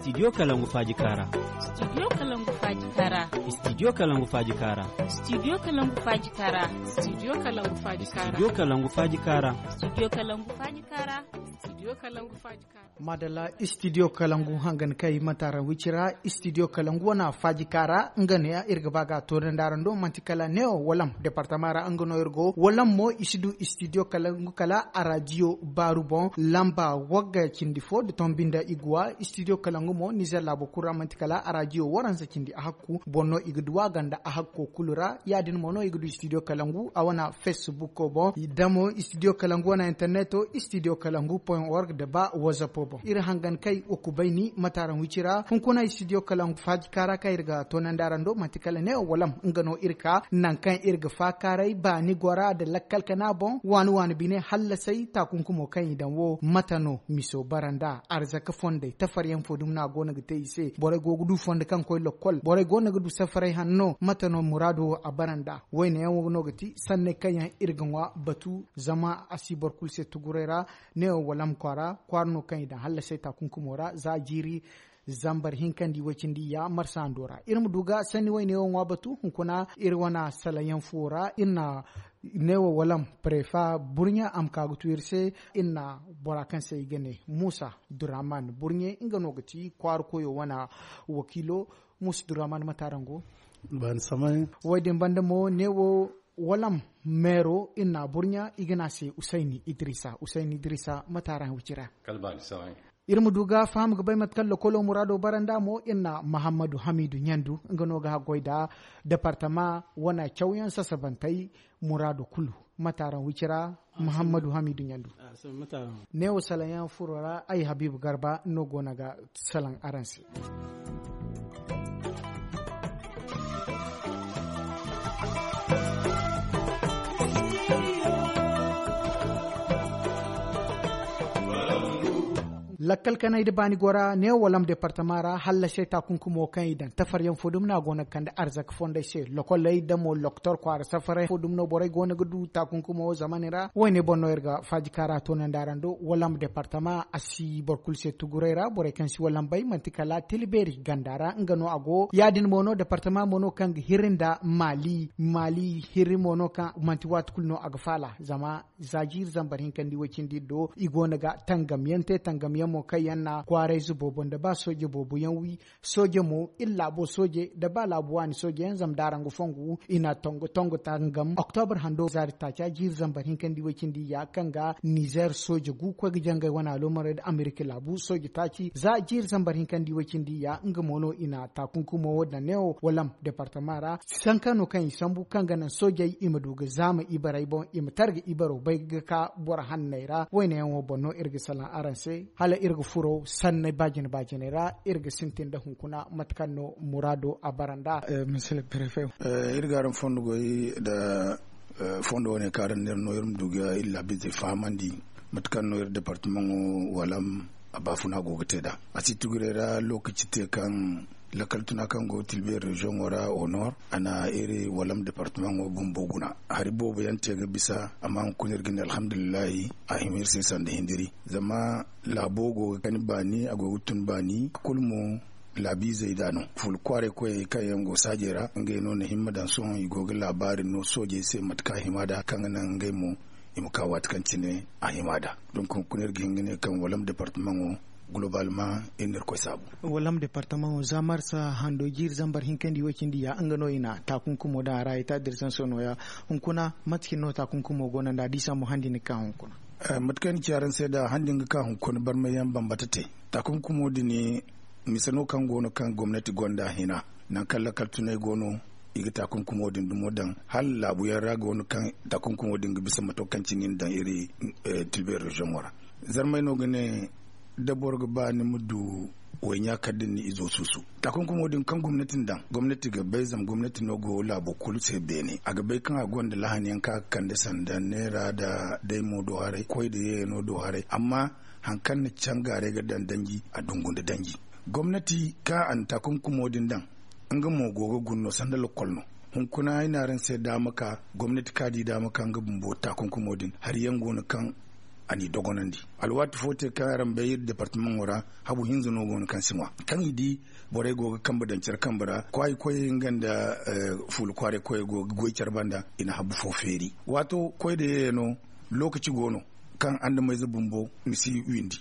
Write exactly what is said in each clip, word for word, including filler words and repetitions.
Studio kalangu faaji kaara. Studio kalangu faaji kaara. Studio kalangu faaji kaara. Studio kalangu faaji kaara. Studio kalangu faaji kaara. Studio kalangu faaji kaara. Studio kalangu faaji kaara. Studio kalangu faaji kaara. Madalla. Studio kalangu hangan kay mataran wicira. Studio kalangu wana faaji kaara nga ne iri ga ba ga to da ndarando manti kala neo walam departama ra nga no iri go walam mo i si du studio kalangu kala a radio baaru boŋ lamba wagga cindi fo da tombi nda iguwa. Studio kalangu mo nizer laabo kulu ra manti kala a radio waransa cindi a hakku boŋ no i ga duwa ganda a hakko kulu ra. Ya- din mo no i ga du studio kalangu a wana facebook boŋ. Da mo studio kalangu wana interneto studio kalangu point org da ba whatsapp boŋ iri hangan kay wa kubayni mataran wicira hunkuna studio kalangu faaji kaara kaŋ iri ga toonandi araŋ do manti kala ne walam nga no iri ka nangu kaŋ iri ga faakaaray baani gora nda lakkal kana boŋ waani waani bine hallasay taakunkumo kaŋ i daŋ wo mate no miso bara nda arzaka fondey tafaryaŋ fo dumi no a go no ga te i se borey go ga du fondo kaŋ koy lokkol borey go no ga du safaray hanno mate no muraado wo a bara nda wayne yaŋ wo no ga ti sanney kaŋ yaŋ iri ga ŋwa batu zama a si boro kulu se tuguray ra. Ne wo walam kwaara kwaara no kaŋ i daŋ hallasay taakunkumo ra za jiiri zambar hinka nda i way cindi ya marsa hando ra iri ma du ga sanni wayne wo ŋwa batu hunkuna iri wana salaŋ yaŋ fuwo ra iri na ne wo walam prefa burɲe a ma ka ga tu iri se. Iri na bora kaŋ se i ga ne muusa duraman burɲe nga no ga ti kwaara koyo wana wakiilo. Muusa duraman mate araŋ go? Way din banda mo ne wo walam meero iri na a burɲa i ga ne a se usayni idrisa usayni idrisa mate araŋ wicira? Iri ma du ga faham ga bay mate kaŋ lokolo muraado bara nda mo iri na mahammadu hamiidu ɲandu nga no ga haggoy nda departama wane cawyaŋ sasabantey muraado kulu. Mate araŋ wicira? Mahammadu hamiidu ɲandu. Ne wo salaŋ yaŋ furo ra ay habiibu garba no go no ga salaŋ araŋ se. Lakkal kanay nda baani gora ne walam departama ra hallasey taakunkumo kaŋ i daŋ tafaryaŋ fo dumi no a go no ga kande arzaka fondey se lokoley da mo loktor kwaara safarey fo dumi no borey go no ga du taakunkumo wo zamani ra wayne boŋ no iri ga faaji kaara toonandi araŋ do walam departama a si boro kulu se tuguray ra borey kaŋ si walam bay manti kala tila beeri ganda ra nga no a go ya- din mo no departama mo no kaŋ ga hiri nda maali maali hiri mo no kaŋ manti waati kulu no a ga faala zama za jiiri zambar hinka nda i way cindi iri do i go no ga tangam yaŋ te tangam yaŋ mo kaŋ yaŋ na kwaarayze boobo nda ba sooje boobo yaŋ wi sooje mo iri laabo sooje nda ba laabu waani sooje yaŋ zama da araŋ ga fongu i na tongo tongo tangam oktobar hando zaari taaca jiiri zambar hinka nda i way cindi ya kaŋ ga nizer sooje gu koy ga jangay wane aloomarey nda amerika laabu sooje taaci za jiiri zambar hinka nda i way cindi ya nga mo no i na taakunkumo wo daŋ ne wo walam departama ra sanka no kaŋ i sambu kaŋ ga naŋ soojey i ma du ga zaama ibarey boŋ i ma targa ibaro bay ga ka boro hanney ra wayne yaŋo boŋ no iri ga salaŋ araŋ se hala iri ga furo sanney baajine baajiney ra iri ga sintin nda hunkuna mate kaŋ no muraado a bara nda. Iri ga araŋ fondo goy nda fondo wane kaŋ araŋ no iri ma du ga iri laabiizey fahamandi mate kaŋ no iri departamaŋo walam a baafuna go ga te nd'a a si tuguray ra lookaci te kaŋ lakkal tuna kaŋ go tilbe reziyoŋo ra honor a na iri walam departamaŋo bumbo guna hari boobo yaŋ te ga bisa amma hunkuna iri ga ne alhamdulillahi a hima iri se sanda hindiri zama laabo go ga kani baani a go ga tun baani kulu mo laabiizey nd'a no ful kwaaray koyey kaŋ yaŋ go saajey ra ngey no na himma daŋ sohõ i go ga laabaari no soojey se mate kaŋ a hima nd'a kaŋ ga naŋ ngey mo i ma ka waati kaŋ cine a hima nd'a. Donk hunkuna iri ga hin ga ne kaŋ walam departamaŋo golobalma iri na irkoy saabu. Walam departamaŋo za marsa hando jiiri zambar hinka nda i way cindi ya nga no i na taakunkumo daŋ a ra i ta dirsanso nooya. Hunkuna mate cine no taakunkumo go no nd'a da i sambu handi ni ga ka hunkuna? Mate kaŋ ay na ci araŋ se nd'a handi ni ga ka hunkuna barmay yaŋ bambata te. Taakunkumo din mise no kaŋ go no kaŋ gomnati gonda hina nangu kaŋ lakkal tunay go no i ga taakunkumo din dumo daŋ hala laabu yaŋ ra go no kaŋ taakunkumo din ga bisa mato kaŋ cine i na daŋ iri tilbe reziyoŋo ra. Zarmay no ga ne da boro ga ba ni ma du wayɲa kala da ni na izo suusu taakunkumo din kaŋ gomnati na daŋ gomnati ga bay zama gomnati no go laabo kulu se beene a ga bay kaŋ a gonda lahani yaŋ kaŋ a ga kande sanda neera nda day mo do haray koy nda yeeyano do haray amma hari kaŋ na cangaaray ga daŋ danji a dungu nda danji gomnati kaŋ a na taakunkumo din daŋ nga mo go ga guna no sanda lakkol no. Hunkuna ay ne araŋ se daama ka gomnati kaŋ a di daama ka nga bumbo taakunkumo din hari yaŋ go no kaŋ a n'i dogonandi. Alwaati fo te kaŋ araŋ bay iri departamaŋo ra, habu hinza no go no kaŋ si ŋwa kaŋ i di borey go ga kambe daŋ care kambe ra. Kwaayi koyey nga nda fuula kwaaray koyey go ga goy care banda, i na habu fo feeri. Waato koy da yeeya no, lookaci go no kaŋ andamayze bumbo ni si windi.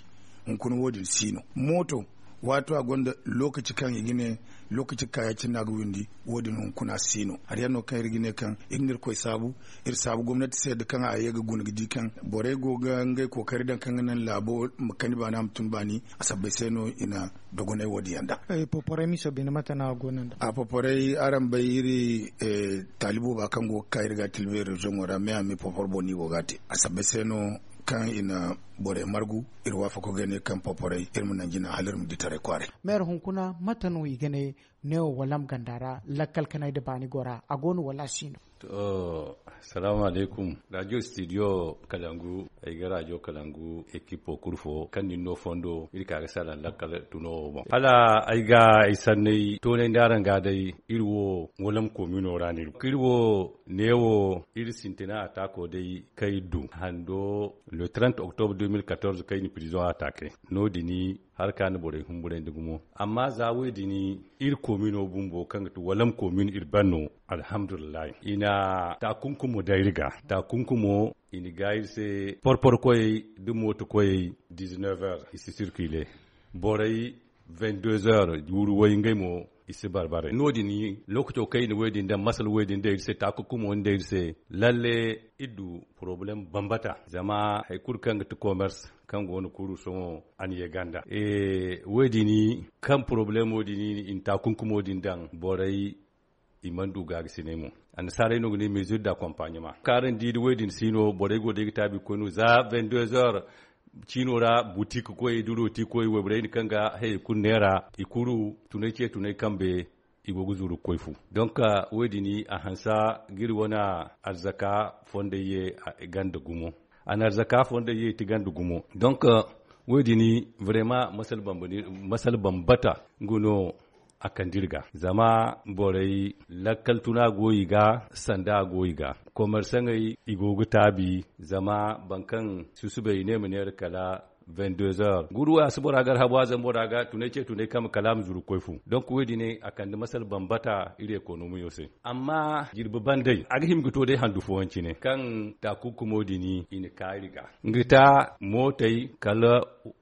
Hunkuna wo- din si no mooto, waato a gonda lookaci kaŋ i ga ne lookaci ga ka ya- cine no a ga windi. Wo- din hunkuna si no hari yaŋ no kaŋ iri ga ne kaŋ iri na irkoy saabu. Iri saabu gomnati se da kaŋ a ye ga guna ga di kaŋ borey go ga ngey kookari daŋ kaŋ ga naŋ laabo ma kani baani a ma tun baani. A sabbay se no i na dogonay wo- din yaŋ da. Poporay miso bine mate no a go no nda a poporay araŋ bay iri taali booba kaŋ go ga ka iri ga a tilbe reziyoŋo ra me a me popor boŋ no i go ga a te. A sabbay se no kaŋ i na borey margu. Iri waafako ga ne kaŋ poporay iri ma naŋ jina hala iri ma di taray kwaaray. Meera hunkuna mate no i ga ne neewo walam ganda ra lakkal kanay nda baani go ra a go no wala a si no? To, salaamu alaykum. Raajiyo studio kalangu. Ay ga raajiyo kalangu ekipo kulu fo kaŋ nin no fondo iri ka ga salaŋ lakkal tuno wo boŋ hala ay ga ay sanney toonay nda araŋ ga day. Iri wo walam koomino ra no iri go iri wo neewo iri sintina ataako day kaŋ iri du hando le trente octobre deux mille quatorze kaŋ i na pirizoŋ ataake. No- din hari ka na borey humburandi gumo. Amma za wo- din iri koomino bumbo kaŋ ga ti walam koomin iri ban no. Alhamdulillahi i na taakunkumo day iri ga. Taakunkumo i na ga iri se porpor koyey nda mooto koyey. Dix-neuf heures i si sirkile borey vingt-deux heures wuru way ngey mo i si barbaray no- din. Lookaco kaŋ i na wo- din daŋ masala wo- din daŋ iri se taakunkumo ni daŋ iri se. Lalle iri du porobalem bambata zama hari kulu kaŋ ga ti komers kaŋ go no kuru sohõ a na ye ganda. Wo- din kaŋ porobalemo din i na taakunkumo din daŋ borey i mana du gaagasinay mo. Annasaarey no ga ne mesure da accompagnement kaŋ araŋ di da wo- din si no borey go day ga taabi ga koy no za vingt-deux heures ciino ra butik koyey da rooti koyey wayborey din kaŋ ga hayey kulu neera i kulu tunay ce tunay kambe. I go ga zuru ga koy fu. Donk wo- din a hanse ga iri wane arzaka fondey ye ganda gumo. A na arzaka fondey ye ti ganda gumo donk wo- din vraiment masala bambata nga no a kande iri ga zama borey lakkal tuna go i ga sanda go i ga komersaŋey i go ga taabi zama boro kaŋ susubay i ne ma neera kala vingt-deux heures guru a si bora gar habu a zama bora ga tunay ce tunay kama kala a ma zuru ga koy fu. Donk wo- din a kande masala bambata iri ekonomiyo se. Amma jirbi bandey a ga hima ga to day handu fooyaŋ cine kaŋ taakunkumo din i na ka iri ga nga ta mootey kala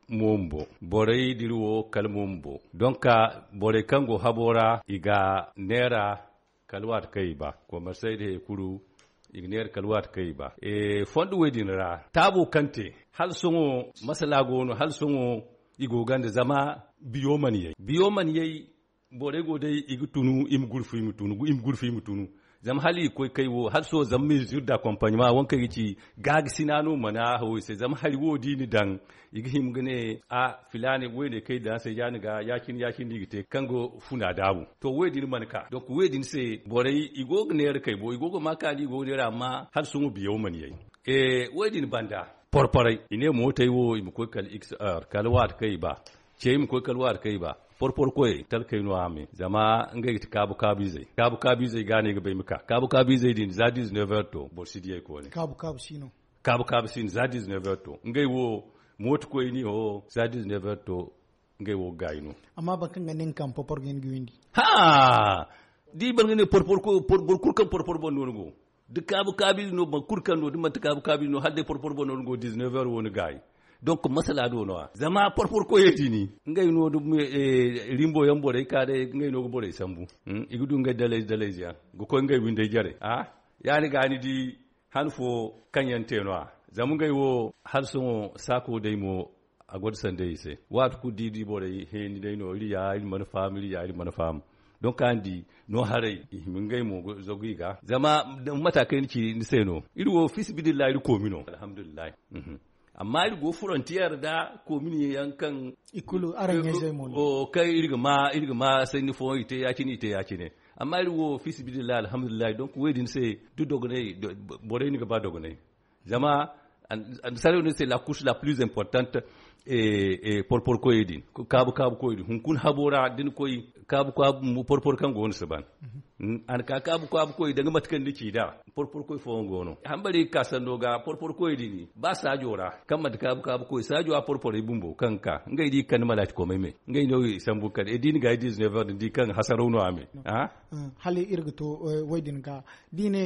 moombo borey da iri wo kala moombo donk borey kaŋ go habo ra i ga neera kala waati kaŋ i ba komersey da hari kulu i ga neera kala waati kaŋ i ba. Fondo wo- din ra taabo kaŋ te hala sohõ masala go no hala sohõ i go ganda zama biyo mana yay biyo mana yay. Borey go day i ga tunu i ma gurfu i ma tunu i ma gurfu i ma tunu zama hala i ga koy kay wo hala sohõ zama mesure da accompagnement waŋ kaŋ i ga ci gaagasi no a no mana hawo i se zama hari wo da i na daŋ i ga hima ga ne a filaana wayney kaŋ i daŋ a se ya- ni ga ya-cine ya-cine no i ga te kaŋ ga funa daabu. To wo- din mana ka donk wo- din se borey i go ga neera kay bo i go ga ma kaani i go ga neera amma hala sohõ biyaw mana yay. Wo- din banda porporey i ne mootey wo i ma koy kala x heure kala waati kaŋ i ba ce i ma koy kala waati kaŋ i ba porpor koyey talkey no a me zama ngey ga ti kaabu kaabu izey kaabu kaabu izey ga no ay ga ba ay ma ka kaabu kaabu izey din za dix-neuf heures to boro si diyey koone kaabu kaabu si no za dix-neuf heures to ngey wo mooto koyni ho za dix-neuf heures to ngey wo ga gaayi no. Amma boro kaŋ ga ne nga ka ma porpor ga hin ga windi haa da i boro ga ne porpor boro kulu kaŋ porpor boŋ no ni go da kaabu kaabu ize no boro kulu kaŋ no da manti kaabu kaabu ize no hala day porpor boŋ no ni go dix-neuf heures wo ni gaayi. Donk masala do no- ya zama porpor koyey din ngey no da rimbo yaŋ borey ka day ngey no ga borey sambu i ga du ngey dalayze dalayze yaŋ ga koy ngey windey jare. Ya- ni ga ni di han fo kaŋ yaŋ te no- ya zama ngey wo hala sohõ saako day mo a gonda sanda i se waati kulu da i di borey heeni day no iri ya iri mana faham iri ya iri mana faham. Donk a ni di no haray i hima ngey mo ga zagu i ga zama mata kaŋ ay na ci ni se no iri wo fiisabilillahi iri koomi no alhamdulillahi. Amma iri go frontiyeer nda koominiye yaŋ kaŋ i kulu araŋ ɲayzey mo no kaŋ iri ga ma iri ga ma sanni fooyaŋ i te ya- cine i te ya- cine. Amma iri wo fiisabilillahi alhamdulillahi donk wo- din se da dogonay borey ni ga ba dogonay zama Saray no se la couche la plus importante. Porpor koyey din, kaabu kaabu koyey din hunkuna habo ra da ni koy kaabu kaabu porpor kaŋ go no si ban. A na ka kaabu kaabu koyey danga mate kaŋ ni ci nd'a. Porpor koy fooyaŋ go no hambari ga ka sanno ga porpor koyey din ba saajo ra kaŋ manti kaabu kaabu koy saajo a porporey bumbo kaŋ ga ka ngey di ga kande malaaci komey me. Ngey no i sambu ga kande i di ni ga ay dizinefeer din di kaŋ hasaraw no a me. Hala iri ga to way din ga da i ne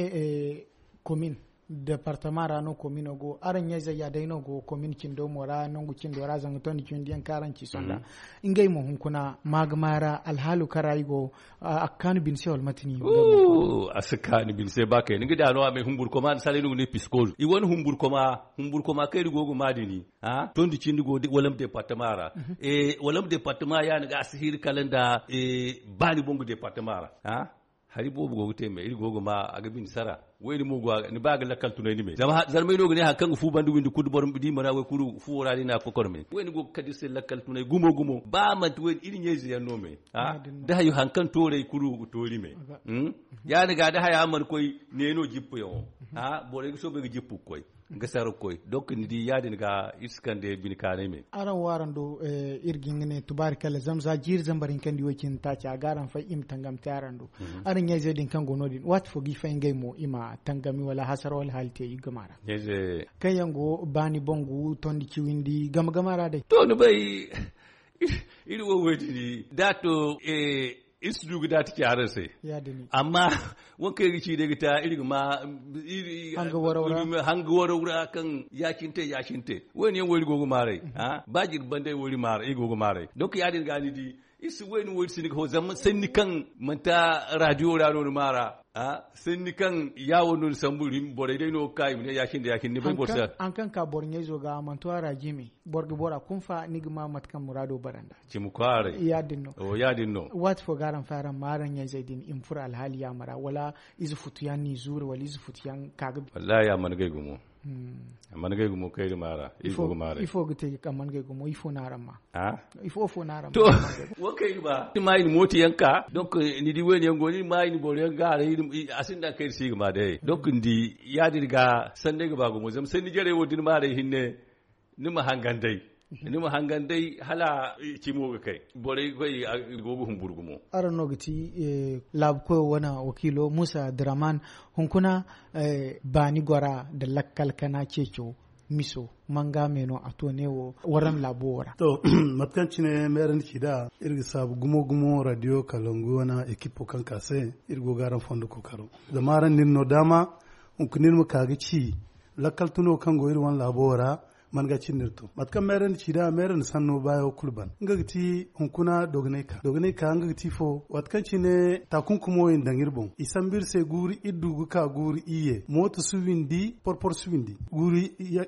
komin departama ra no komino go araŋ ɲayzey ya day no go komin cindo mo ra nangu cindo ra zanga tondi cindi yaŋ kaŋ araŋ ci sonda. Ngey mo hunkuna maagama ra alhaalu kaŋ ra i go a ga kaanu bine se wala mate ni a si kaanu bine se ba kayna nga da no a may humburkoma ni salay no ga ne piskol i wane humburkoma humburkoma kaŋ iri go ga ma dini. Tondi cindi go wala ma departama ra wala ma departama ya ni ga a si hiri kala nda baani boŋ ga departama ra. Hari boobo go ga te me iri go ga ma a ga bine sara. Wayne mo go a ga ni ba ga lakkal tunay ni me zama zarmay no ga ne hari kaŋ ga fu banda windi kulu boro di mana way kulu fuwo ra ni na kokor me wayne go ga kadi se lakkal tunay gumo gumo ba manti wayne iri ɲayze yaŋ no me. Da hayo hari kaŋ tooray kulu ga toori me. Ya ni ga da haya mana koy ne no jippu yaŋo borey ga soobay ga jippu ga koy ga sara ga koy donk ni di ya- din ga iri si kande bine kaanay me. Araŋ wo araŋ do iri ga hin ga ne tubaari kala zama za jiiri zambar hinka nda i wo cindi taaci a ga araŋ fay i ma tangam te araŋ do. Araŋ ɲayzey din kaŋ go no- din waati fo ga i fay ngey mo i ma tangami wala hasara wala haali te i gama ra. Kaŋ yaŋ go baani boŋ gu tondi ciwindi gama gama ra day to ni bay. Iri wo wo- din da to iri si du ga daati ci araŋ se. Amma waŋ kaŋ iri ga ci day ga ta iri ga ma hanga waraw ra kaŋ ya- cine te ya- cine te. Wayne yaŋ wo iri go ga maaray. Ba jirbi banda iri wo iri go ga maaray donk ya- din ga ni di iri si wayne wo iri si ni ga ho zama sanni kaŋ manti raadiyo ra no ni maara. Sanni kaŋ yaawo no ni sambu iri borey day no ga ka i ma ne ya- cine da ya- cine ni bay boro se. Hari kaŋ ka boro ɲayzo ga manti a ra jime boro ga bora kunfa ni ga ma mate kaŋ muraado bara nda. Cimi kwaaray ya- din no. Waati fo ga araŋ fay araŋ ma araŋ ɲayzey din i ma furo alhaali yaama ra wala ize futu yaŋ n'i zuuri wala ize futu yaŋ ka ga. Wallaahi a mana gay gumo. A mana gay gumo kayri maara ifo ga te a mana gay gumo ifo no araŋ ma. Ifo fo no araŋ ma. To wo kayri ba ni ma i na mooto yaŋ ka donk ni di wayne yaŋ go no ni ma i na boro yaŋ ga haray a sinda kaŋ iri si ga ma day donk ni di ya- din ga sanney ga ba gumo zama sanni jarey wo da ni maaray hinne. Ni ma hangan day ni ma hangan day hala cimo ga kay borey ga koy. Go ga humburu gumo. Araŋ no ga ti laabu koyo wane wakiilo muusa draman hunkuna baani gora nda lakkal kana ceeco miso manga me no a to ne wo waram laabo wo ra. To mate kaŋ cine meerandi ci nd'a iri ga saabu gumo gumo radio kalangu wane ekipo kaŋ ka se iri go ga araŋ fondo kookaro. Zama araŋ na iri no daama hunkuna iri ma ka ga ci lakkal tuno kaŋ go iri wane laabo wo ra. Man ga cindi iri to mate kaŋ meerandi ci nd'a meerandi sanno baayo kulu ban nga ga ti hunkuna dogonay ka dogonay ka nga ga ti fo waati kaŋ cine taakunkumo i na daŋ iri boŋ i sambu iri se guuru iri du ga ka guuru iyye mooto si windi porporo si windi guuru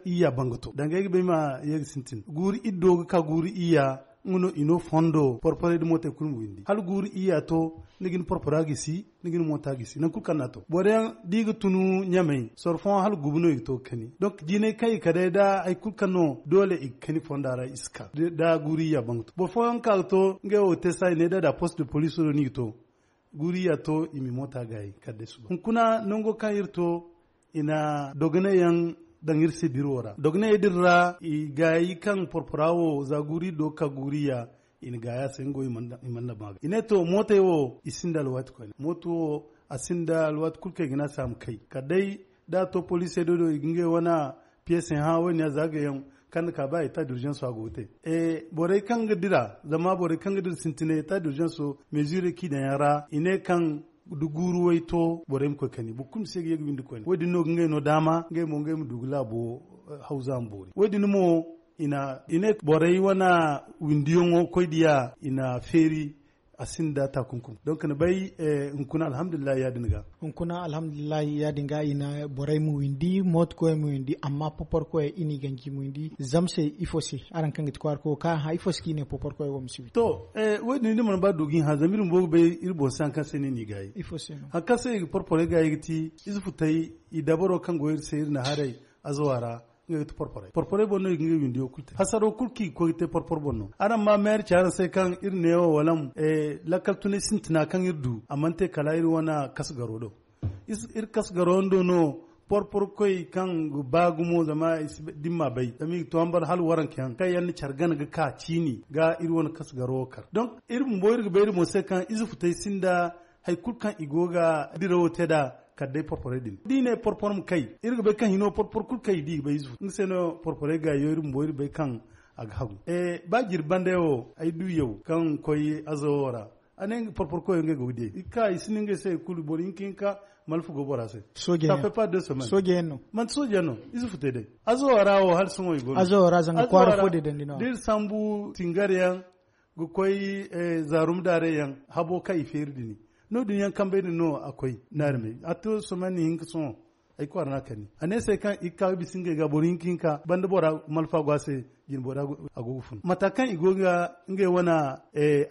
iyya banga to danga ay ga bay ma ye ga sintin guuru iri do ga ka guuru iyya. Nga no i no fondo porporey nda mootey kulu ma windi hala guuru iyya to ni ga ni porpora gisi ni ga ni moota gisi nangu kulu kaŋ no a to boro yaŋ da i ga tunu ɲamey soro fooyaŋ hala guubu no i ga to ga kani donk jiinay kaŋ i ka day nda hari kulu kaŋ no doole i ga kani fonda ra i si ka da guuru iyya banga to boro fooyaŋ ga ka ga to ngey wo ga te saaya ne da da post de police no no i ga to guuru iyya to i ma i moota gaayi kala day suba hunkuna nango kaŋ iri to i na dogonay yaŋ daŋ iri se biro ra dogonay din ra i gaayi kaŋ porpora wo za guuri do ga ka guuri ya i na gaaya se nga wo i mana ba ga i ne to mootey wo i sinda alwaati koyne mooto wo a sinda alwaati kulu kaŋ i ga ne a se a ma kay kala day da a to poliisey do do i ga ngey wane piyesey hã wo- din ya za ga yaŋ kaŋ ni ka ba eta d'urgence a go ga te borey kaŋ ga dira zama borey kaŋ ga dira sintinay eta d'urgence meezirey kaŋ i daŋ yaŋ ra i ne kaŋ da guuru way to borey ma koy kani boro kulu ma si ye ga ye ga windi koyne wo- din no ga ngey no daama ngey mo ngey ma du ga laabo hawza ma boori wo- din mo i ne borey wane windiyaŋo koy diya i na feeri a sinda taakunkum donk ni bay hunkuna alhamdulillahi ya- din ga hunkuna alhamdulillahi ya- din ga i na borey ma windi mooto koyey ma windi amma popor koyey i n'i ganji ma windi zama se ifo se araŋ kaŋ ga ti kwaara koyo kaŋ a hã ifo se kaŋ i ne popor koyey wo ma si windi to wo- din ni mana ba du ga i hã zama iri bumbo ga bay iri boŋ se hari kaŋ se no i n'i gaayi ifo se no hari kaŋ se i ga porporey gaayi ga ti ize futey i dabaro kaŋ go iri se iri na haray azawa ra nga ga ti porporey porporey boŋ no i ga ngey windiyo kulu te hasaro kulu kaŋ i ga koy ga te porpor boŋ no araŋ ma meeri ci araŋ se kaŋ iri neewo wala lakkal tunay sintina kaŋ iri du a mana te kala iri wane kasgaro do iri kasgaro yaŋ do no Porporo koy kaŋ ga ba gumo zama i si dimma bay zama i ga to hambar hala waranka yaŋ kaŋ yaŋ na care gana ga ka ciini ga iri wane kasu garo wo kar. Donk iri bumbo iri ga bay iri mo se kaŋ ize futay sinda hari kulu kaŋ i go ga dirawo te nd'a kala day porporey din da i ne porporo ma kay iri ga bay kaŋ hino porporo kulu kay da i ga bay ize futay nga se no porporey ga yo iri bumbo iri bay kaŋ a ga hagu. Ba jirbi banda yaŋ wo ay du yaw kaŋ koy azawo ra a ne porporo koyo ngey go ga di i ga ka i si ne ngey se hari kulu boro hinka hinka malfa go bora se. Sooje yaŋ no. Manti sooje yaŋ no. Ize futay day azawo ra wo hala sohõ i go no azawo ra zanga kwaara fo din dandi no. Da iri sambu tingar yaŋ ga koy zaarum daarey yaŋ habo kaŋ i feeri din no- din yaŋ kambey din no a koy naarmey a to sohõ ni hinka sohõ. Ay kwaara no a kani a ne se kaŋ i ga ka ga bisa ngey ga boro hinka hinka banda bora malfa go a se. Jinbora a go ga fun mata kaŋ i go ga ngey wane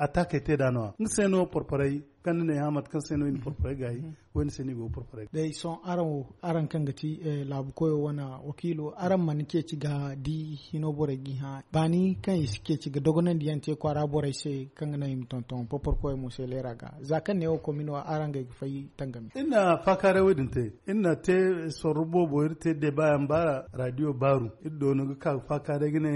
attaakey te nd'a no- ya nga se no porporey kaŋ ni ne hã mate kaŋ se no i na porporey gaayi. Wo- din se no i go ga porporey gaayi. Day sohõ araŋ wo araŋ kaŋ ga ti laabu koyo wane wakiilo araŋ mana ceeci ga di hino borey ga i hã baani kaŋ i si ceeci ga dogonandi yaŋ te kwaara borey se kaŋ ga naŋ i ma tonton porporo koyo mo se leera ga za kaŋ ne wo komino araŋ ga ay ga fay tangami. Iri na faakaaray wo- din te iri na te sorro boobo iri te deeba yaŋ baara raadiyo baaru iri doonu ga ka ga faakaaray ga ne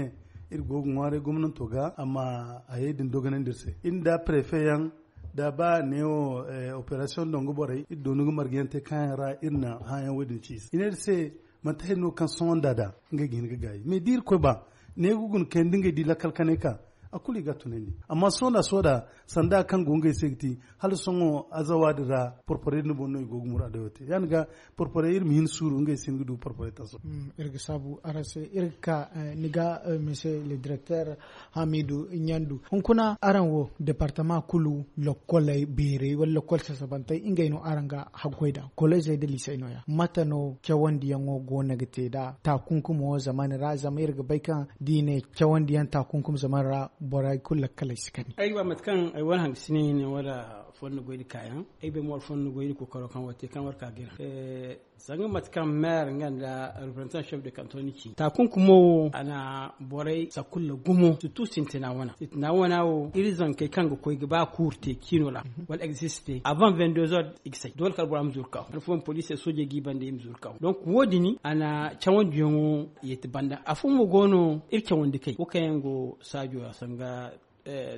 iri go ga ŋwaaray gomnanto ga amma hayey din dogonandi iri se iri nda prefe yaŋ da ba neewo operasiyoŋ dongo borey iri doonu ga marga yaŋ te kaŋ yaŋ ra iri na hã yaŋ wo- din ci i se i ne iri se manti hari no kaŋ sohõ nda da ngey ga hin ga gaayi mais da irkoy ba ne ga guna kayandi ngey di lakkal kanay ka a kulu i ga a tunandi. Amma sohõ nda sohõ da sanda kaŋ go ngey se ga ti hala sohõ azawa din ra porporey din boŋ no i go ga muraadey wo te ya- din ga porporey iri ma hin suuru ngey si hin ga du porporey taso. Iri ga saabu araŋ se iri ga ka ni ga mise le direkter hamidu ɲandu hunkuna araŋ wo departama kulu lokkoley beerey wala lokkol sasabantey ngey no araŋ ga haggoy nd'a koleezey nda liisey no- ya mate no cawandiyaŋo go no ga te nd'a taakunkumo zamani ra zama iri ga bay kaŋ da i ne cawandiyaŋ taakunkum zamani ra borey kulu lakkaley si kani. Ay ga ba mate kaŋ ay wane hangasine hine wala fondo goy nda kaayaŋ ay bay mo wala fondo goy nda kookaro kaŋ war te kaŋ war ka ga iri haŋ. Sanga mate kaŋ meer nga nda representant chef de kanton ni ci taakunkumo wo a na borey sakulla gumo surtout sintina wana sintina wana wo iri zankey kaŋ ga koy ga ba kuuru te ciino ra wala existe avant vingt deux heures i ga say doole kala bora ma zuru kaw han fooyaŋ poliisey soojey g'i banda i ma zuru kaw donc wo- din a na cawandiyaŋo yeeti banda afo mo go no iri cawandi kay wo kaŋ yaŋ go saajo ra sanga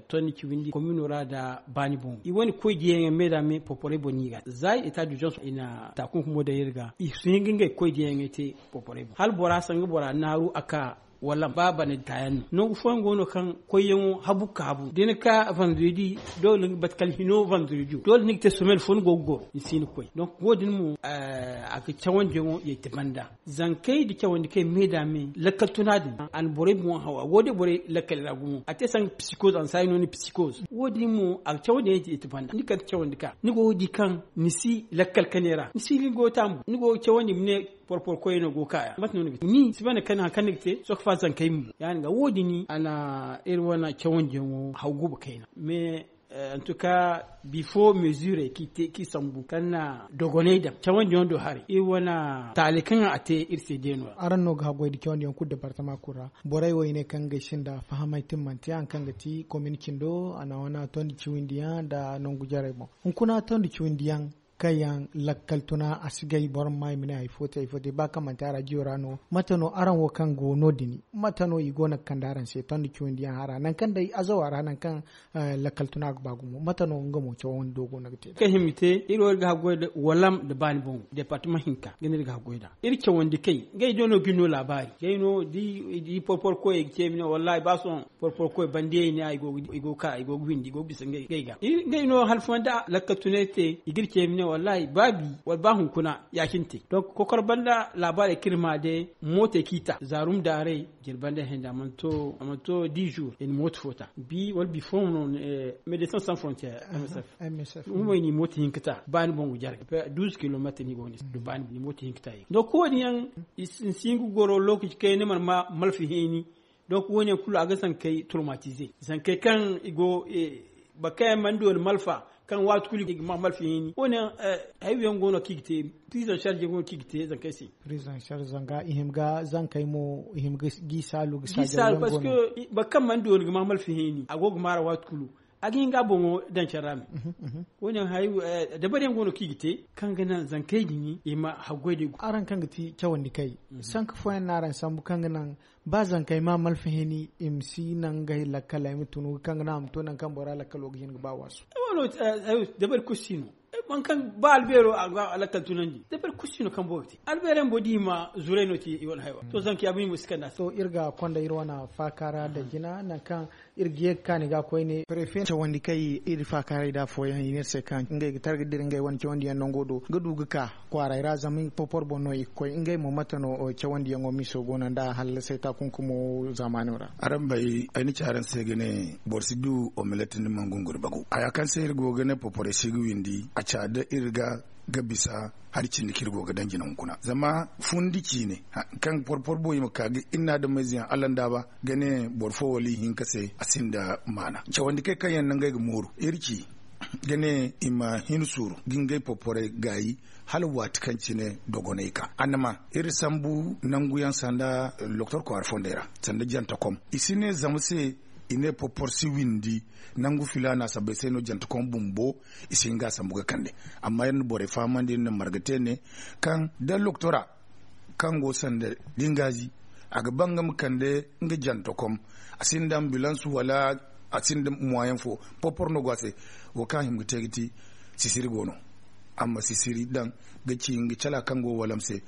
tondi ciwindi komino ra nda baani boŋo i wane koy diyaŋey me da me porporey boŋ no i ga za i ta du zone i na taakunkumo daŋ iri ga i si hin ga ngey koy diyaŋey te porporey boŋ hala bora sanga bora naaru a ka wala ba bana taayaŋ no nangu fooyaŋ go no kaŋ koyyaŋo habu ga ka habu da ni ka vendredi doole ni ga batu kala hino vendredi doole ni ga te somel fo ni go ga goro ni si hin ga koy donc wo- din mo a ga cawandiyaŋo yeeti banda zankey nda cawandi kaŋ me da me lakkal tuna din a na borey boŋ hawa wo- din borey lakkal ra gumo a te sanga psikoz a na saayi no ni psikoz wo- din mo a ga cawandi yaŋ yeeti banda ni kala cawandi ka ni go ga di kaŋ ni si lakkal kane ra ni si ni go ga taamu ni go ga cawandi ma ne porporo koyey no go ga ka ya mate no ni ga te ni si banda kani hari kaŋ ni ga te sohõ ga fa zankey mo ya- din ga wo- din a na iri wane cawandiyaŋo haw guba kayna mais en tout cas bifo mesure kaŋ i sambu kaŋ na dogoney daŋ cawandiyaŋo do haray iri wane taali kaŋ a te iri se day no ra. Araŋ no ga haggoy nda cawandiyaŋ kulu departama kulu ra borey wo i ne kaŋ ngey sinda fahamay tin manti hari kaŋ ga ti komin cindo a na wane tondi ciwindiyaŋ nda nangu jarey boŋ hunkuna tondi ciwindiyaŋ kaŋ yaŋ lakkal tuna a si gay boro ma ma i ma ne hari fo te hari fo te ba kaŋ manti arajiyo ra no mate no araŋ wo kaŋ go no- din mate no i go no ga kande araŋ se tondi ciwindiyaŋ hara nangu kaŋ day azawa ra nangu kaŋ lakkal tuna ga ba gumo mate no nga mo cawandi do go no ga te da kaŋ hima i te iri wo iri ga haggoy nda walam nda baani boŋo departama hinka ga no iri ga haggoy nd'a iri cawandi kay ngey do no ga iri no laabaari ngey no da i porporo koyey ga ce i ma ne wallahi ba sohõ porporo koy bandiyey ne i go ga ka i go ga windi i go ga bisa ngey ga ngey no hari fooyaŋ da lakkal tunay te i ga iri ce i ma ne wallahi ba bi wala ba hunkuna ya- cine te donc kokoro banda laabaarey kaŋ iri ma day mootey kaŋ i ta zaarum daarey jirbi banda henda a mana to dix jours i na mooto fo ta bi wala bifo no médecins sans frontières msf humay no i mooto hinka ta baani boŋo jarey douze kilometre no i go no i si du baani boŋo i mooto hinka ta i ga donc wo- din yaŋ i si hin ga goro lookaci kaŋ yaŋ ni mana ma malfa heeni donc wo- ne yaŋ kulu a ga zankey traumatise zankey kaŋ i go boro kaŋ yaŋ mana dooni malfa kaŋ waati kulu i ga ma malfa heeni wo- ne yaŋ hayey yaŋ go no kaŋ i ga te prise en charge yaŋ go no kaŋ i ga te zankey se prise en charge zanga i hima ga zankey mo i hima ga gi saalu ga saajaw yaŋ go no boro kaŋ mana dooni ga ma malfa heeni a go ga maara waati kulu A ga hin ga a boŋo daŋ care ra me. Wo- din hari dabari yaŋ go no kaŋ i ga te, kaŋ ga naŋ zankey din i ma haggoy da i go. Araŋ kaŋ ga ti cawandi kay, sanka fooyaŋ no araŋ sambu kaŋ ga naŋ ba zankey ma malfa hini i ma si naŋ ngey lakkaley ma tunu kaŋ ga naŋ a ma to nangu kaŋ bora lakkalo ga hin ga ba waasu? Dabari kulu si no. Boro kaŋ ba albeero a ga lakkal tunandi dabari kulu si no kaŋ boro ga te albeero yaŋ boro di i ma zuray no te i wane haywa to zanka ya bumbo si kanda se. To iri ga konda iri wane faaka ra da jina nangu kaŋ iri ga ye ga kaani ga koyne prefe cawandi kaŋ iri faakaaray da afooyaŋ i ne iri se kaŋ ngey ga targa dira ngey wane cawandi yaŋ nango do ga du ga ka kwaaray ra zama porpor boŋ no i ga koy ngey mo mate no cawandi yaŋo miso go no nda hallasay taakunkumo zaamaano ra? Araŋ bay ay na ci araŋ se ga ne boro si du omelette ni mana gunguri bagu haya kaŋ se iri go ga ne porporey si ga windi a ca da iri ga ga bisa hari cindi kaŋ iri go ga daŋ jina hunkuna zama fundi ciine kaŋ porpor boŋ i ma ka ga iri na adamayze yaŋ allandaaba ga ne boro fo wala ihinka se a sinda maana cawandi kay kaŋ yaŋ no ngey ga mooru iri ci ga ne i ma hin suuru ga ngey porporey gaayi hala waati kaŋ cine dogonay ka annama iri sambu nangu yaŋ sanda loktor kwaara fondey ra sanda jantakom i si ne zama se i ne porpor si windi nangu filaana sabbay se no jantakom bumbo i si hin ga a sambu ga kande amma iri na borey fahamandi iri na marga te ne kaŋ da loktora kaŋ go sanda dingaazi a ga ba nga ma kande nga jantakom a sinda ambilans wala a sinda moyen fo porpor no go a se wo kaŋ a hima ga te ga ti sisiri go no a ma sisiri daŋ ga ci nga cala kaŋ go walam se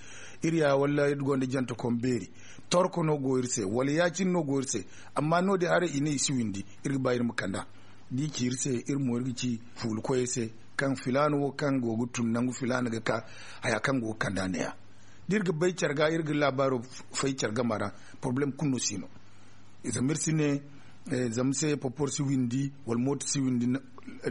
iri ya wala iri gonda jantakom beeri torko no go iri se wala ya- cine no go iri se amma no- din haray i ne i si windi iri ga ba iri ma kand'a da i ci iri se iri mo iri ga ci fuulu koyey se kaŋ filaana wo kaŋ go ga tun nangu filaana ga ka haya kaŋ go ga kand'a ne- ya da iri ga bay care ga iri ga laabaaro fay care game ra porobalem kulu no si no zama iri si ne zama se porpor si windi wala mooto si windi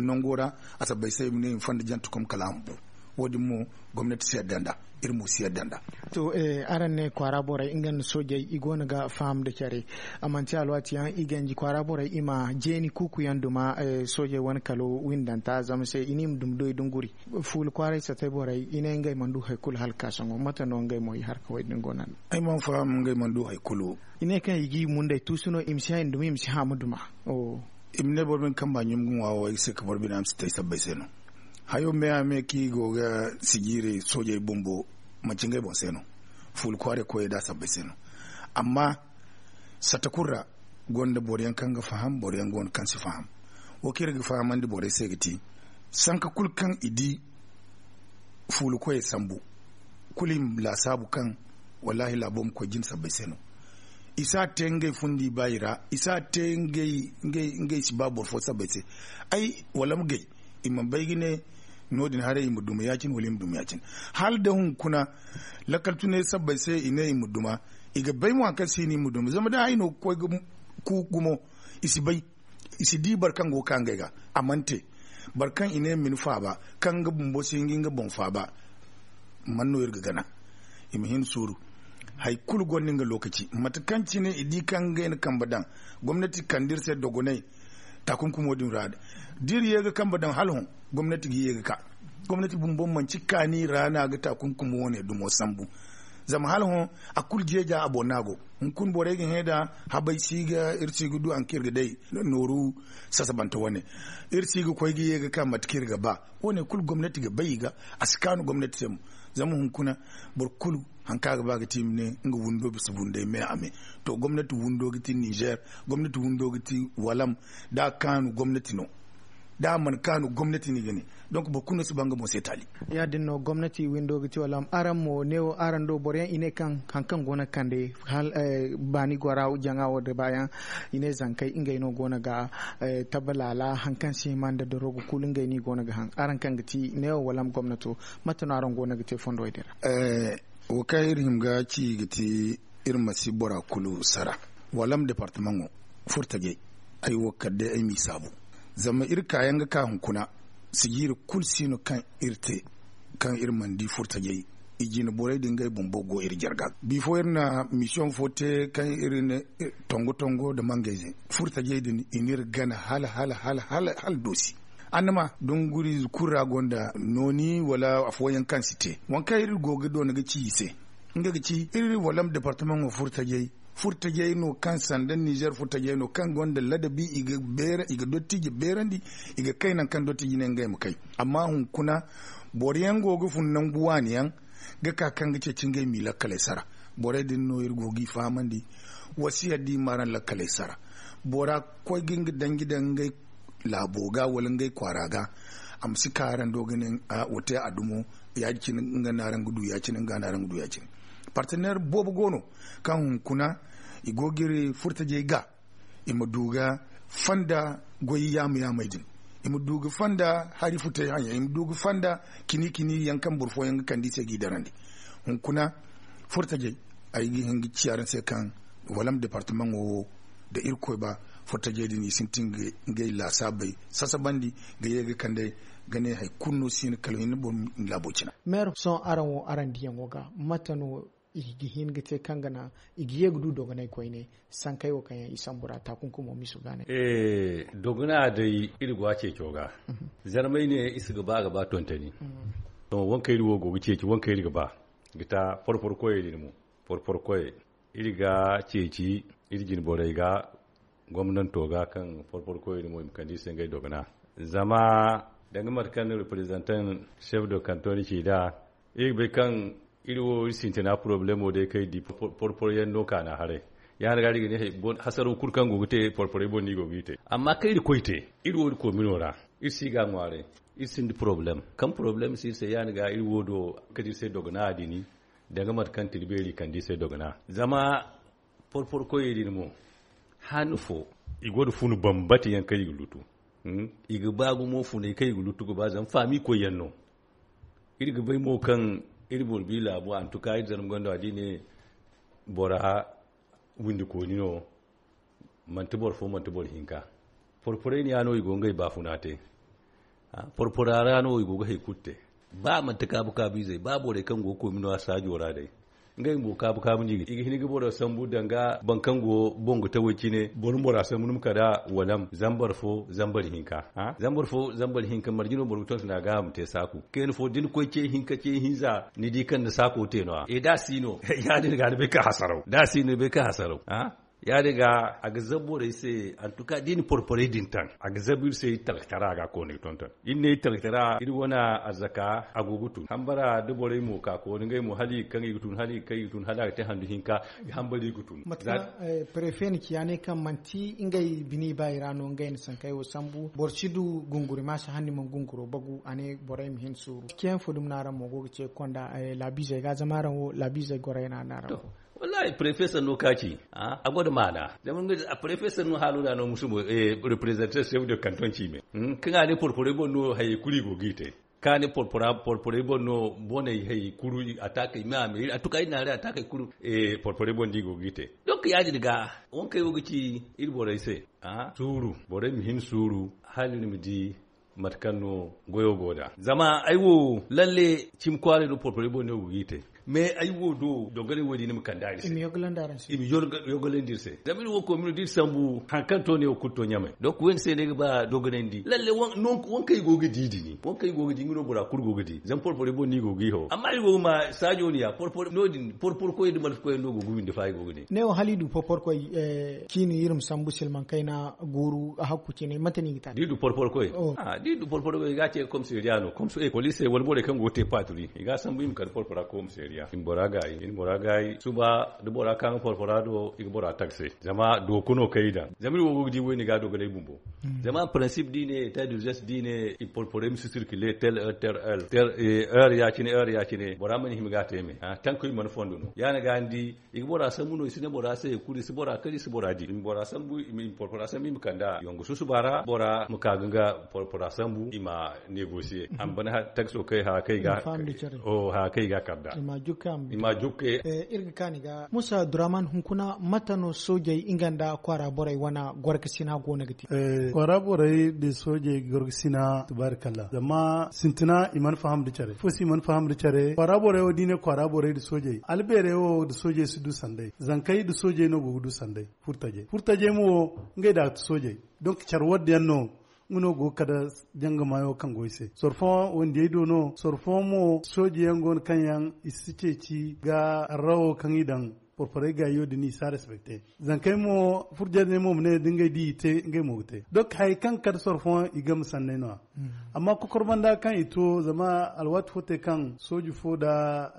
nango ra a sabbay se i ma ne i ma fonda jantakom kala a ma bu wo- din mo gomnati si yadda nd'a iri mo si yadda nd'a. To araŋ ne kwaara borey nga nda soojey i go no ga faham nda care a manti alwaati yaŋ i ganji kwaara borey i ma jeeni kuuku yaŋ duma soojey wane kalo windanta zama se i ne i ma duma doy dunguri fuula kwaaray satay borey i ne ngey mana du hari kulu hala ka sohõ mate no ngey mo i harkawey din go no a ne? Ay mana faham ngey mana du hari kulu. I ne kaŋ i ga i mundey tuusu no i ma si hay duma i ma si haamu duma. I ma ne boro bine kaŋ ba ɲum ga ŋwa wo ay ga se ka boro bine a ma si te ay sabbay se no. Hayo me a me kaŋ i go ga sijiiri soojey bumbo manci ngey boŋ se no. Fuula kwaaray koyey da a sabbay se no. Amma satta kulu ra gonda boro yaŋ kaŋ ga faham boro yaŋ go no kaŋ si faham. Wo kaŋ iri ga fahamandi borey se ga ti sanka kulu kaŋ i di fuula koyey sambu kulu i ma laasaabu kaŋ wallaahi laabo ma koy jina sabbay se no. I si a te ngey fundi baayi ra i si a te ngey si ba boro fo sabbay se. Ay wala ma gay i mana bay ga ne no- din haray i ma duma ya- cine wala i ma duma ya- cine hala da hunkuna lakkal tunay sabbay se i ne i ma duma. I ga bay mo hari kaŋ se i ne i ma duma zama da hari no ga koy ga ku gumo i si bay. I si di boro kaŋ go ga ka ngey ga a mana te boro kaŋ i ne ma ni faaba kaŋ nga bumbo si hin ga nga boŋ faaba. Man no iri ga gana i ma hin suuru. Hari kulu gonda nga lookaci mate kaŋ cine i di kaŋ ngey na kambe daŋ gomnati kande iri se dogonay taakunkumo din ra da iri ye ga kambe daŋ hala hõ gomnati ga ye ga ka. Gomnati bumbo manci kaani ra no a ga taakunkumo wane dumo sambu. Zama hala hõ a kulu jeeja a boŋ no a go. Hunkuna borey ga hẽ da habay si ga iri si ga du hari kaŋ iri ga day nooru sasabante wane. Iri si ga koy ga ye ga ka mate kaŋ iri ga ba wane kulu gomnati ga bay i ga a si kaanu gomnati se mo. Zama hunkuna boro kulu hari kaŋ a ga ba ga ti i ma ne nga windo bisa windey me a me. To gomnati windo ga ti nizer. Gomnati windo ga ti walam da a kaanu gomnati no. Da a mana kaanu gomnati no i ga ne. Donc boro kulu no si ba nga boŋ se taali. Ya- din no gomnati windo ga ti walam araŋ mo neewo araŋ do boro yaŋ i ne kaŋ hari kaŋ go no ga kande baani gora jaŋa wo da baayaŋ i ne zankey ngey no go no ga tabalaala hari kaŋ si hima nda dorogo kulu ngey no i go no ga haŋ araŋ kaŋ ga ti neewo walam gomnato? Mate no araŋ go no ga te fondowey din ra? Wo kaŋ iri hima ga ci ga ti iri ma si bora kulu sara. Walam departamaŋo furtajey ay wo kala day ay m'i saabu. Zama iri kaayaŋ ga ka hunkuna sijiiri kulu si no kaŋ iri te kaŋ iri mana di furtajey. I jine borey din ngey bumbo go iri jarga ga bifo iri na misiyoŋ fo te kaŋ iri ne tongo tongo nda mangayze furtajey din i n'iri gana hala hala hala hala doosi. Annama dunguriize kulu ra gonda nooni wala afooyaŋ kaŋ si te waŋ kaŋ iri go ga doona ga ci i se. Nga ga ci iri walam departamaŋo furtajey. Furtajey no kaŋ sanda nizer furtajey no kaŋ gonda ladabi i ga dottiji beerandi. I ga kay nangu kaŋ dottiji ne ngey ma kay. Amma hunkuna boro yaŋ go ga fun nangu waani yaŋ ga ka kaŋ ga ceeci ngey m'i lakkaley sara. Borey din no iri go g'i fahamandi. Wasiya da i m'araŋ lakkaley sara, bora koy ga nga danji daŋ ngey laabo ga wala ngey kwaara ga. A ma si ka araŋ do ga ne, wo te a dumo. Ya- din cine nga no araŋ ga du ya- cine nga no araŋ ga du ya- cine. Partener boobo go no kaŋ hunkuna i go ga iri furtajey ga i ma du ga fanda goy yaama yaamey din. I ma du ga fanda hari futay haŋ yaŋ i ma du ga fanda kini kini yaŋ kaŋ boro fooyaŋ ga kande i se g'i darandi. Hunkuna furtajey, ay ga hin ga ci araŋ se kaŋ walam departamaŋo wo da irkoy ba, furtajey din i sintin ga ngey laasaabey sasabandi ga ye ga kande ga ne hari kulu no si hin kala hinne boro ma laabo cina. Meero sohõ araŋ wo araŋ diyaŋo ga mate no i ga hin ga te kaŋ ga naŋ i ga ye ga du dogonay koyne sankey wo kaŋ yaŋ i sambu ra taakunkumo miso ga ne. Dogona day iri go a ceeco ga. Zarmay ne i si ga ba ga ba tontoni. Sohõ wankey iri wo go ga ceeci wankey iri ga ba ga ta porpor koyey din mo. Porpor koyey iri ga ceeci iri jine borey ga gomnanto ga kaŋ porpor koyey din mo i ma kande i se ngey dogona. Zama danga mate kaŋ no representan chef de canton ci nd'a iri ga bay kaŋ iri wo iri sintina problemo day kaŋ iri di porpor yaŋ no kaana haray. Ya- din ga iri ga ne hasaraw kulu kaŋ go ga te porporey boŋ no i go g'i te. Amma kaŋ iri koy te iri wo iri koomino ra iri si ga a ŋwaaray. Iri sinda problem kaŋ problem si iri se ya- din ga iri wo do kate iri se dogona a dini. Danga mate kaŋ tira beeri kande i se dogona zama porpor koyey din mo han fo i go nda funu bambata yaŋ kaŋ i ga lutu. I ga ba gumo funay kaŋ i ga lutu ga ba zama faami koy yaŋ no. Iri ga bay mo kaŋ iri boro bi laabo antuka iri zarma gondo a di ne bora windi kooni no. Manti boro fo manti boro hinka porporey ne ya no i go ngey baafuna te. Porpora ra no i go ga hari kulu te. Ba manti kaabu kaabu izey ba borey kaŋ go ga koy mino a saajo ra day ngey mo kaabu kaabu no i ga hin ga boro sambu danga boro kaŋ go boŋ ga taway cine boro ma bora sambu ni ma kala walam zambar fo zambar hinka. Zambar fo zambar hinka marje no boro ga tonton a ga a ma te saaku kayna fo da ni koy ce hinka ce hinza ni di kaŋ ni saako te no- ya da a si no ya- din ga ni bay kaŋ hasaraw da a si no ni bay kaŋ hasaraw. Ya- din ga a ga zabu borey se antuka da i na porporey din taŋ a ga zabu iri se iri talkatara a ga a koonay tonton. Iri ne iri talkatara iri wane arzaka a go ga tun hambara da borey mo ka kooni ngey mo hala i ga kaŋ i ga tun hala i ga kaŋ i ga tun hala a ga te handu hinka. Hambara i ga tun. Prefe na ci ya ne kaŋ manti ngey bini ba i ra no ngey na sankey wo sambu boro si du gunguri ma si hanni mana gunguro bagu a ne borey ma hin suuru ciyaŋ fo dumi no araŋ mo go ga ce konda laabiizey ga zama araŋ wo laabiizey gorey no a ne araŋ wo. Wallahi prefe sanno ka ci a go nda maana zama prefe sanno haalo ra no musu representant chef de canton ci me kaŋ a ne porporey boŋ no hayey kulu i go g'i te. Kaŋ a ne porporey boŋ no boney hayey kulu a taakey me a me a tuka iri naarey a taakey kulu porporey boŋ no i go g'i te. Donc ya- din ga wankey wo ga ci iri borey se suuru borey ma hin suuru hala iri ma di mate kaŋ no goyo go nd'a zama ay wo lalle cimi kwaaray do porporey boŋ no ay go g'i te. Mais ay wo do dogonay wo- din ni ma kande araŋ se i ma yogalandi iri se zama iri wo koy mino da iri sambu hari kaŋ to ne wo kulu to ɲamay donc wo- din se no ay ga ba dogonandi lalle waŋ kaŋ i go ga di din waŋ kaŋ i go ga di nga no bora kulu go ga di zama porporey boŋ no i go g'i haw amma iri go ga ma saajo no- ya porpor no- din porpor koy nda malfa koy yaŋ no go ga windi fa i go ga ne. Ne wo hala i du porpor koy ciini iri ma sambu silmaŋ kayna guuru hakku cine mate no i ga te a da i du porpor koy. Da i du porporo i ga a ce komisariya no komisariya poliisey wala borey kaŋ go ga te paaturi i ga a sambu i ma kande porpora komisariya i ma bora gaayi i ma bora gaayi suba da bora ka nga porpora do i ga bora taksi zama dooku no kaŋ i daŋ zama iri wo go ga di wayne ga a dogonay bumbo. Zama prinsipe da i ne eta d'urgence da i ne i porporey ma si sirkile tel heure tel heure tel heure ya- cine heure ya- cine bora mana hima ga a te me tankoy mana fondo no ya- ni ga ni di. I ga bora sambu no i si ne bora se kulu i si bora kari i si bora di i ma bora sambu i ma porpora sambu i ma kande a yongu susuba ra bora ma ka ga nga porpora sambu i ma negosiye a ma bana takso kay hara kay ga kar da i ma jukke. Iri ga kaani ga musa duraman hunkuna mate no soojey nga nda kwaara borey wane gorkasina go no ga te? Kwaara borey da soojey gorkasina tabaarikalla zama sintina i mana faham da care fo se i mana faham da care kwaara borey wo da i ne kwaara borey da soojey albeerey wo da soojey si du sanday zankey da soojey no go ga du sanday. Furtajey furtajey mo ngey da a ga ti soojey donk care wadde yaŋ no nga no go ga kade jangamayo kaŋ go i se sorfo wandiyey do no sorfo mo sooji yaŋ go no kaŋ yaŋ i si ceeci ga arrawo kaŋ i daŋ. porporey gaayo din i si a respecte. Zankey mo furjandey mo ma ne da ngey di i te ngey mo ga te. Donk hari kaŋ kar sorfoŋ i game sanney no- ya. Amma kokor banda kaŋ i to zama alwaati fo te kaŋ sooji fo nda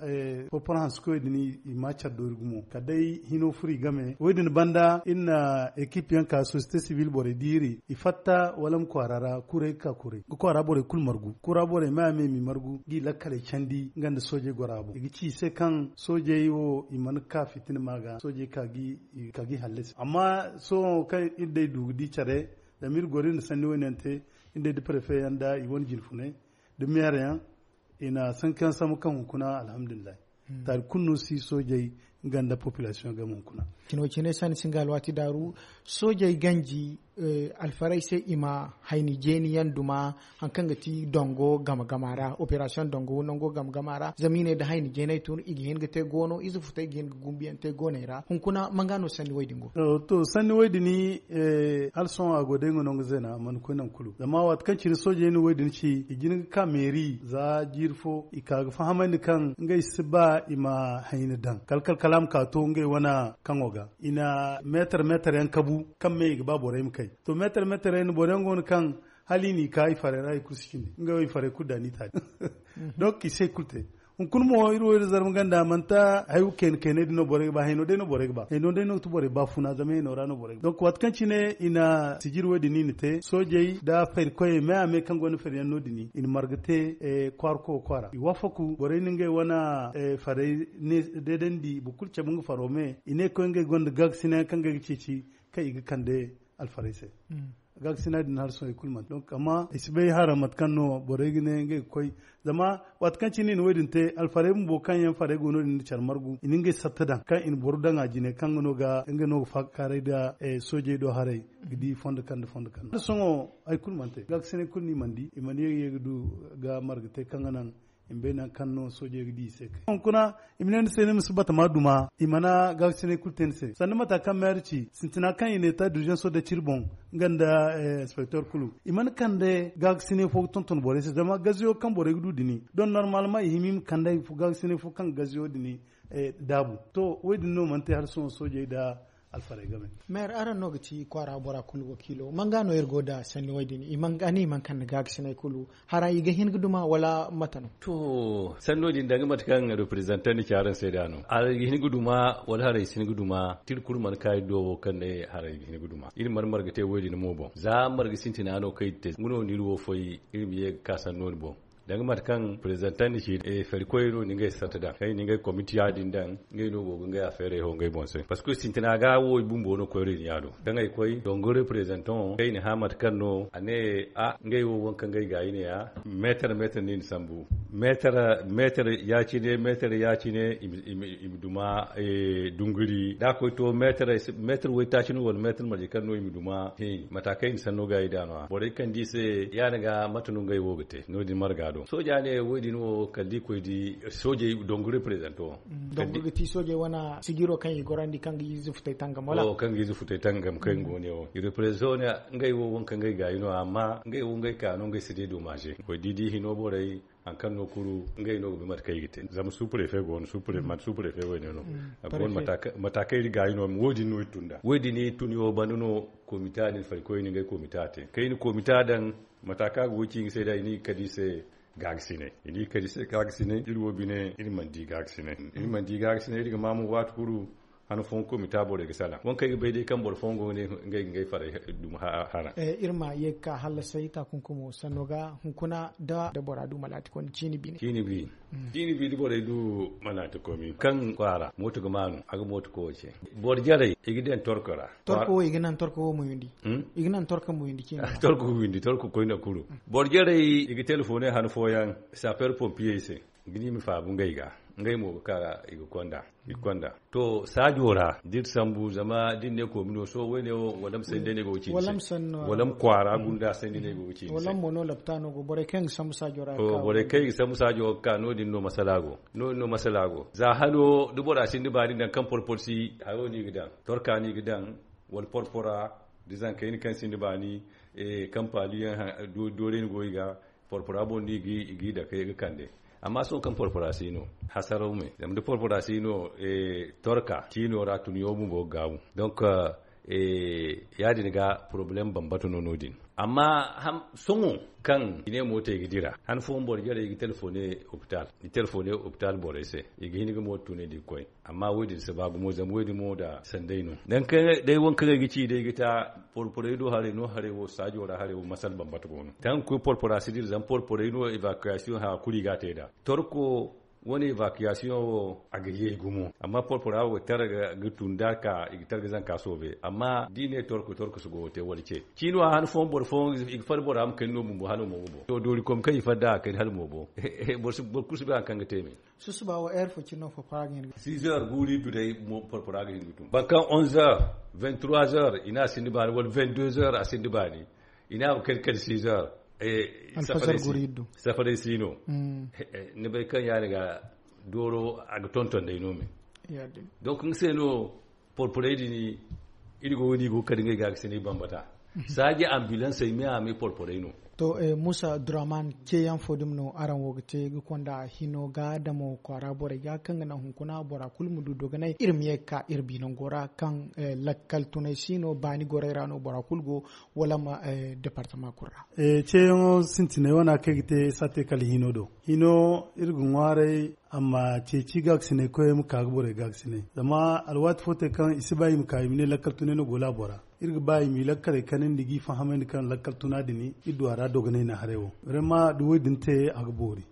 porporo hanse koyey din i ma care doori gumo kala day hino furo i game wo- din banda iri na ekip yaŋ ka sosiyete sibil borey diiri i fatta wala ma kwaara ra kuray ga ka kuray ga kwaara borey kulu margu kura borey me a me m'i margu g'i lakkaley candi nga nda soojey gora boŋ i ga ci i se kaŋ soojey wo i mana ka fitina ma ga soojey ka g'i hallasi amma sohõ kaŋ iri day du ga di care zama iri goro iri na sanni wo- ne yaŋ te iri day da prefe yaŋ nda i wane jinfunay da meere yaŋ i na sanku yaŋ sambu kaŋ hunkuna alhamdulillahi. Taari kulu no si soojey nga nda populasiyoŋ game hunkuna. Cino cine sanni singa alwaati daaru soojey ganji alfarey se i ma hayni jeeni yaŋ duma hari kaŋ ga ti dongo game gama ra operasiyoŋ dongo nango game gama ra zama i ne da hayni jeeney tun i ga hin ga te goono ize futay ga hin ga gumbiyaŋ te gooney ra hunkuna manga no sanni wo- din go. To sanni wo- din hala sohõ a go day nga no nga zeena a mana koy nangu kulu zama waati kaŋ cine soojey na wo- din ci i jin ga ka meeri za jiiri fo i ka ga fahamandi kaŋ ngey si ba i ma hayni daŋ kala kala kala a ma ka to ngey wane kaŋo ga i na meetar meetar yaŋ kabu kaŋ me i ga ba borey ma kay. To meetar meetar yaŋ boro yaŋ go no kaŋ hala i n'i ka i farey ra i kulu si cindi ngey wo i farey kulu da n'i taali donk i se i kulu te. Hunkuna mo iri wo iri zarma ganda manti hayo kayna kaynay din no borey ga ba hayno day no borey ga ba hayno day no ga ti borey ba funa zama hayno ra no borey ga ba donk waati kaŋ cine i na sijiri wo- din i na te soojey nda fari koyey me a me kaŋ gonda fari yaŋ no- din i na marga te kwaara koyo kwaara i wafaku borey na ngey wane farey deedandi boro kulu cabe nga faro me i ne koy ngey gonda gaagasinay yaŋ kaŋ ngey ga ceeci kaŋ i ga kande alfarey se. Gaagasinay din hala sohõ i kulu manti donk amma i si bay hara mate kaŋ no borey ga ne ngey ga koy zama waati kaŋ cine i na wo- din te alfarey bumbo kaŋ yaŋ farey go no- din nda care margu i na ngey satta daŋ kaŋ i na boro daŋ a jine kaŋ nga no ga faakakaaray nda soojey do haray ga di fondo kaŋ nda fondo kaŋ no hala sohõ hari kulu mana te gaagasinay kulu no i mana di i mana ye ga ye ga du ga marga te kaŋ ga naŋ i ma bay nangu kaŋ no soojey ga di i se kay hunkuna i ma ne ni se ni ma si batama duma i mana gaagasinay kulu te ni se sanda mata kaŋ meeri ci sintina kaŋ i na eta durjanso da ciri boŋ nga nda inspektor kulu i mana kande gaagasinay fo ga tonton borey se zama gaziyo kaŋ borey ga du dini don normalement i hima i ma kande gaagasinay fo kaŋ ga gaziyo dini daabu to wo- din no mana te hala sohõ soojey nda alfarey game. Meeri araŋ no ga ti kwaara bora kulu wakiilo manga no iri go nda sanni wo- din i manga ni i mana kande gaagasinay kulu hara i ga hin ga duma wala mate no? To sanno din danga mate kaŋ reprezantan ni ci araŋ se da no hara i ga hin ga duma wala hara i si hin ga duma tiri kulu mana ka iri do wo kaŋ ne hara i ga hin ga duma iri mana marga te wo- din mo boŋ za marga sintina no kaŋ iri te nga no no iri wo foy iri ma ye ga ka sanno ni boŋ. Danga mate kaŋ prezantan ni ci fari koyey no ni ngey sarta daŋ kaŋ i na ngey komiti ya- din daŋ ngey no go ga ngey afeerey ho ngey boŋ se parceque sintina ga wo i bumbo no koyra i na ya do kaŋ ay koy dongo reprezantan wo kaŋ i na hã mate kaŋ no a ne a ngey wo waŋ kaŋ ngey ga i ne ya meetar meetar no i na sambu meetar meetar ya- cine meetar ya- cine i ma duma dunguri da a koy to meetar waytaaci no wala meetar marje kaŋ no i ma duma mata kaŋ i na sanno ga i da no- ya borey kaŋ di se ya- ni ga mate no ngey wo ga te no- din marga do sooja ne wo- din wo kala da i koy di soojey dongu reprezanto wo dongu ga ti soojey wane sigiro kaŋ i gorandi kaŋ ga ize futay tangam wala kaŋ ga ize futay tangam kaŋ go ne wo i reprezanto ne ngey wo waŋ kaŋ ngey gaayi no amma ngey wo ngey ka no ngey si day domaze koy di di hino borey hari kaŋ no kulu ngey no ga bay mate kaŋ i ga te zama suprefe go no suprefe wayne no mata kaŋ iri gaayi no wo- din no iri tun da wo- din iri tun yaŋ banda no komita din fari koyne ngey komita te kaŋ i na komita daŋ mata kaŋ a ga goy ci nga se da i na i ga kadi se gaagasinay i na i ga kadi se gaagasinay iri wo bine iri mana di gaagasinay iri mana di gaagasinay iri ga ma mo waati kulu han fooyaŋ komita borey ga salaŋ waŋ kaŋ ay ga bay day kaŋ boro fooyaŋ go ga ne ngey ga ngey farey duma hara iri ma ye ga ka hallasay taakunkumo sanno ga hunkuna da bora du malaati konda ciini bine ciini bi da borey du malaati komi kaŋ kwaara mooto ga maanu a ga mooto koyo ce boro jarey i ga daŋ torko ra torko wo i ga naŋ torko wo muyundi i ga naŋ torko muyundi ciini torko muyundi torko koyne kulu boro jarey i ga telefoney han fooyaŋ saper pompiyey se ga ne i ma faabu ngey ga ngey mo ga ka i ga konda i ga konda to saajo ra da iri sambu zama da iri ne koomino sohõ wayne wo wala ma sanni day no ay go ga ci ni se wala ma kwaara gunda sanni day no ay go ga ci ni se wala mo no laptaano go borey kaŋ yaŋ ga sambu saajo ra borey kaŋ yaŋ ga sambu saajo ga ka no- din no masala go no- din no masala go za hano da bora sinda baani daŋ kaŋ porpor si hayo no i ga daŋ torka no i ga daŋ wala porpora da zankayna kaŋ sinda baani kaŋ paali yaŋ doorey ni go i ga porpora boŋ no i ga i dake ga kande Amma sohõ kaŋ porpora si no, hasaraw me zama da porpora si no, torka ciino ra tun yaw bumbo ga gaabu. Donc, ya- din ga porobalem bambata no no- din. Amma sohõ kaŋ i ne mooto i ga dira han fooyaŋ boro jarey i ga telefoone, hopital i telefoone hopital borey se, i ga hin ga mooto tunandi ga koy. Amma wo- din si ba gumo zama wo- din mo nda sanday no. Day waŋ kaŋ ay ga ci day ga ta porporey do haray no haray wo saajo ra haray wo masal bambata go no. Kaŋ ga koy porpora si dira zama porporey no evacuation haya kulu i ga a te nd'a. Torko wane evacuation wo a ga ye gumo amma porpora wo ga tar ga tun da ka i ga tar ga zanka soobe amma da i ne torko torko si go ga te wala ce. Ciino a han fooyaŋ boro fooyaŋ i ga far bora ma kani no bumbo hala mo ga boŋ to doori kom kaŋ i far da a kani hala mo boŋ. Boro kulu si bay hari kaŋ ga te me. Susuba wo heure fo cine no porpora ga hin ga six heures guuri du day. Porpora ga hin ga tun boro kaŋ onze heures, vingt trois heures i ne a sinda baani wala vingt deux heures a sinda baani. I ne a ma kani kala six heures. Safaray si no. Ni bay kaŋ ya- din ga dooro a ga tonton day no me. Donc nga se no porporey din iri go ga ni go ga kala ngey ga ga sinay bambata. Saaji ambulansey me a me porporey no. To, muusa duraman ceeyaŋ fo dumi no araŋ wo ga te ga konda hino ga damo kwaara borey ga kaŋ ga naŋ hunkuna bora kulu ma du dogonay iri ma ye ga ka iri bi nango ra kaŋ lakkal tunay si no baani gorey ra no bora kulu go wala ma departama kulu ra. Ceeyaŋo sintinay wane kaŋ ay ga te saate kala hino do. Hino iri ga ŋwaaray a ma ceeci gaakasinay koyey ma ka ga borey gaakasinay zama alwaati fo te kaŋ i si ba i ma ka i ma ne lakkal tunay no go laabo ra. Iri ga ba i ma i lakkaley kanandi g'i fahamandi kaŋ lakkal tuna din iri du a ra dogonay na haray wo. Rema da wo- din te a ga boori.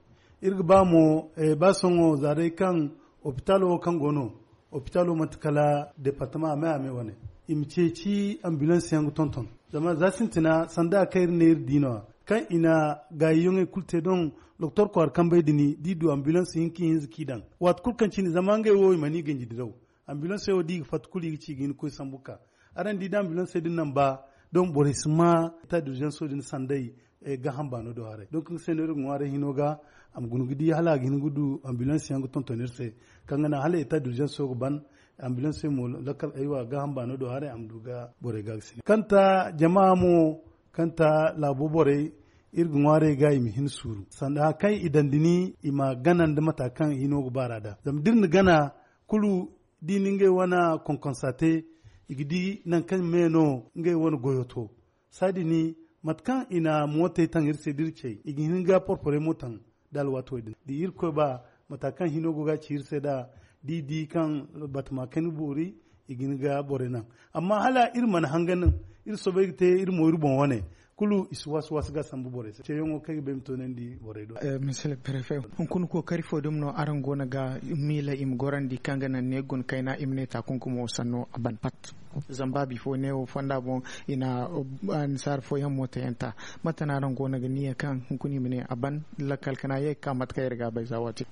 Iri ga ba mo ba sohõ za day kaŋ opitalo wo kaŋ go no opitalo manti kala departama a me a me wane. I ma ceeci ambulance yaŋ ga tonton zama za sintina sanda kaŋ iri ne iri di no- ya kaŋ i na gaayiyaŋey kulu te doŋ. Doktor kwaara kambey din da i du ambulance hinka ihinza kaŋ i daŋ waati kulu kaŋ cine zama ngey wo i mana i ganji diraw. Ambulance wo da i ga fatta kulu i ga ci ga hin ga koy sambu ga ka. Araŋ di da ambulance din naŋ ba doŋ borey si ma ta durjanso din sanday. Gaaham baano do haray donk nga se no iri ga ŋwaaray hino ga a ma guna ga di hala a ga hin ga du ambulance yaŋ ga tonton iri se. Kaŋ ga naŋ hala eta durjanso ga ban ambulance mo lakkal aywa gaaham baano do haray a ma du ga borey ga ga sine kaŋ ta jama mo kaŋ ta laabo borey. Iri ga ŋwaaray ga i ma hin suuru sanda hari kaŋ i daŋ da ni i ma gana nda mata kaŋ hino ga baara da zama da iri na gana kulu da i na ngey wane konkonsa te i ga di nangu kaŋ me no ngey wane goyo to. Saadin mate kaŋ i na mootey taŋ iri se da iri cey i ga hin ga porporey mo taŋ da alwaati wo- din da irkoy ba mata kaŋ hino go ga ci iri se nd'a da i di kaŋ batama kani boori i ga hin ga borey naŋ. Amma hala iri mana hangan iri soobay ga te iri mo iri boŋ wane kulu i si waasi waasi ga sambu borey se ceeyaŋo kaŋ ay ga ba ay ma toonandi borey do. Monsieur le préfet, hunkuna kookari fo dumi no araŋ go no ga miila i ma gorandi kaŋ ga naŋ ne guna kayna i ma ne taakunkumo sanno a ban pat? Zama ba bifo neewo fonda boŋ i na annisaari fooyaŋ mootayanta. Mate no araŋ go no ga niya kaŋ hunkuna i ma ne a ban lakkal kana ye ga ka mate kaŋ iri ga a bay za waati?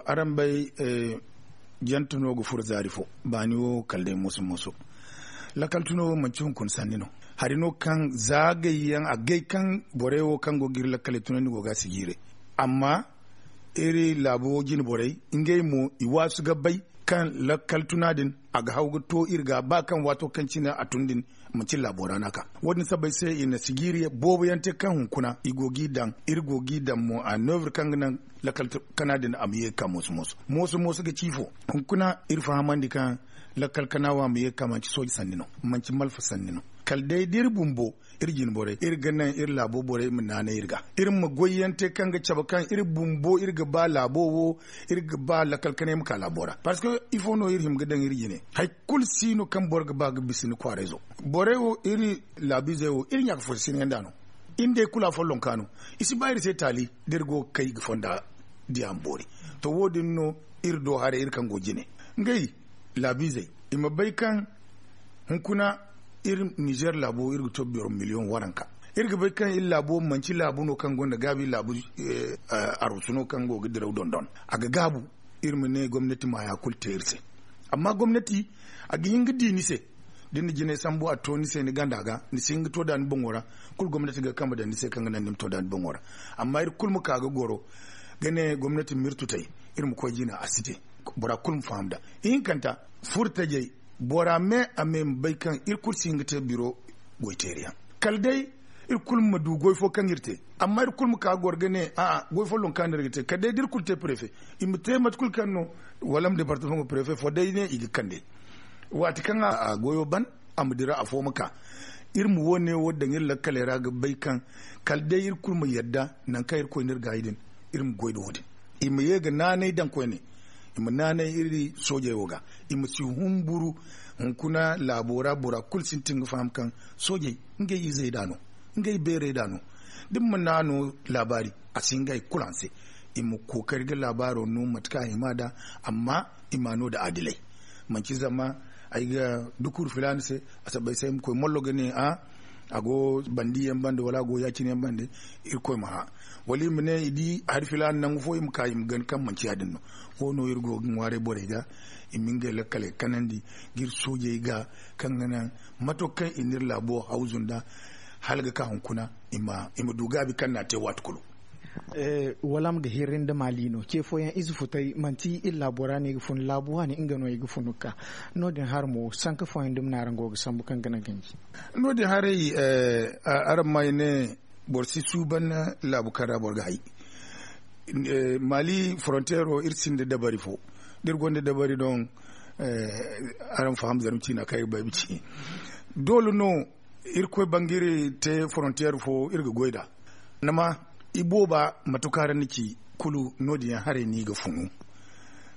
Araŋ bay jante no ga furo zaari fo baani wo kala day moso moso. Lakkal tuno wo manci hunkuna sanni no. Hari no kaŋ za gayyaŋ a gay kaŋ borey wo kaŋ go ga iri lakkaley tunandi go ga a si jiire. Amma iri laabo jine borey ngey mo i waasu ga bay kaŋ lakkal tuna din a ga haw ga to iri ga ba kaŋ waato kaŋ cine a tun din manci laabo ra no a ka. Wo- din sabbay se i na sijiiri boobo yaŋ te kaŋ hunkuna i go g'i daŋ iri go g'i daŋ mo a neuvre kaŋ ga naŋ lakkal kana din a ma ye ga ka mooso mooso mooso mooso ga ci fo. Hunkuna iri fahamandi kaŋ lakkal kana wo a ma ye ga ka manci sooji sanni no, manci malfa sanni no. Kala day da iri bumbo iri jine borey iri ga naŋ iri laabo borey ma naanay iri ga iri ma goy yaŋ te kaŋ ga cabe kaŋ iri bumbo iri ga ba laabo wo iri ga ba lakkal kanay ma ka laabo ra. Parce que ifo no iri hima ga daŋ iri jine hari kulu si no kaŋ boro ga ba ga bisa ni kwaarayzo. Borey wo iri laabiizey wo iri ɲaaka fo si sinay nd'a no. Iri nd'ey kulu afolloŋ ka no. I si ba iri se taali da iri go ga kay ga fonda diya ma boori. To wo- din no iri do haray iri kaŋ go jine ngey laabiizey i ma bay kaŋ hunkuna iri nizer laabo iri ga to boro miliyoŋ waranka. Iri ga bay kaŋ iri laabo manci laabu no kaŋ gonda gaabi laabu arusu no kaŋ go ga diraw dondon. A ga gaabu iri ma ne gomnati ma haya kulu te iri se. Amma gomnati a ga hin ga di ni se da ni na jinay sambu a to ni se ni ganda ga ni si hin ga to da ni boŋo ra. Kulu gomnati ga kambe daŋ ni se kaŋ ga naŋ ni ma to da ni boŋo ra. Amma iri kulu ma ka ga goro ga ne gomnati ma iri tutay iri ma koy jina a si te. Bora kulu ma faham nd'a ihinkanta furtajey bora me a me ma bay kaŋ iri kulu si hin ga te biro goyteeriyaŋ kala day Iri kulu ma du goy fo kaŋ iri te. Amma iri kulu ma ka goro ga ne a'a goy folloŋ kaŋ no iri ga te kala day da iri kulu te prefe. I ma te mate kulu kaŋ no walam departamaŋo prefe fo day ne i ga kande. Waati kaŋ a goyo ban a ma dira afo ma ka. Iri ma wo- ne wo daŋ iri lakkaley ra ga bay kaŋ kala day iri kulu ma yadda nangu kaŋ iri koy no iri gaayi din. Iri ma goy nda wo- din i ma ye ga naanay daŋ koyne. I ma naanay iri soojey wo ga. I ma si humburu. Hunkuna laabo ra bora kulu sintin ga faham kaŋ soojey ngey izey da no, ngey beerey da no. Da ni mana no laabaari, a si hin ga hari kulu a ni se. I ma kookari ga laabaaro no mate kaŋ a hima nd'a. Amma i m'a no nda adilay. Manti zama ay ga dukur filaana se, a sabbay se ay ma koy mollo ga ne a go bandi yaŋ bande wala a go ya- cine yaŋ bande. Irkoy ma hã. Wala i ma ne i di hari filaana nangu fo i ma ka i ma gana kaŋ manti ya- din no. Wo- no iri go ga ŋwaaray borey ga i ma ngey lakkaley kanandi ga iri soojey ga, kaŋ ga naŋ mato kaŋ i na iri laabo hawzu nd'a hala ga ka hunkuna i ma du gaabi kaŋ no a te waati kulu. Wala a ma ga hirri nda maali no ce fooyaŋ ize futay manti iri laabo ra no i ga funu laabu waani nga no i ga funu ga ka. No- din hari mo sanka fooyaŋ dumi no araŋ go ga sambu kaŋ ga naŋ ganji. No- din haray araŋ ma ay ne boro si suuban laabu kaŋ ra boro ga hay. Maali foronteero iri sinda dabari fo da iri gonda dabari doŋ. Araŋ faham zarma ciina kaŋ ay ga ba ay ma ci doole no. Irkoy bangiri te forontiyeer fo iri ga goy nd'a. Ni ma i booba matuka ra ni ci kulu no- din yaŋ haray no i ga funu.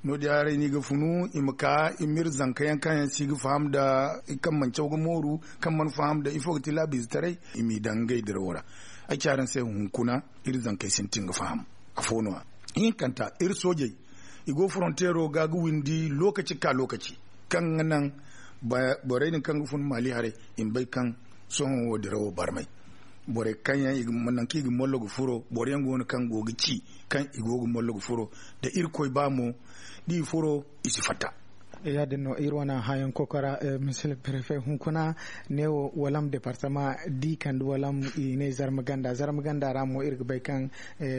No- din yaŋ haray no i ga funu i ma ka i ma iri zanka yaŋ kaŋ yaŋ si ga faham nda kaŋ mana caw ga mooru kaŋ mana faham nda ifo ga ti laabiizetaray. I m'i daŋ ngey dirawo ra. Ay ci araŋ se hunkuna iri zankey sintin ga faham. Afo no- ya ihinkanta iri soojey i go foronteero ga ga windi lookaci ga ka lookaci kaŋ ga naŋ borey din kaŋ ga fun maali haray i ma bay kaŋ sohõ wo dirawo barmay. Borey kaŋ yaŋ nangu kaŋ i ga mollo ga furo boro yaŋ go no kaŋ go ga ci kaŋ i go ga mollo ga furo. Da irkoy ba mo da i furo i si fatta. Ya- din no iri wane hãyaŋ kokora. Misil prefe hunkuna neewo walam departama da i kande walam i ne zarma ganda zarma ganda ra mo iri ga bay kaŋ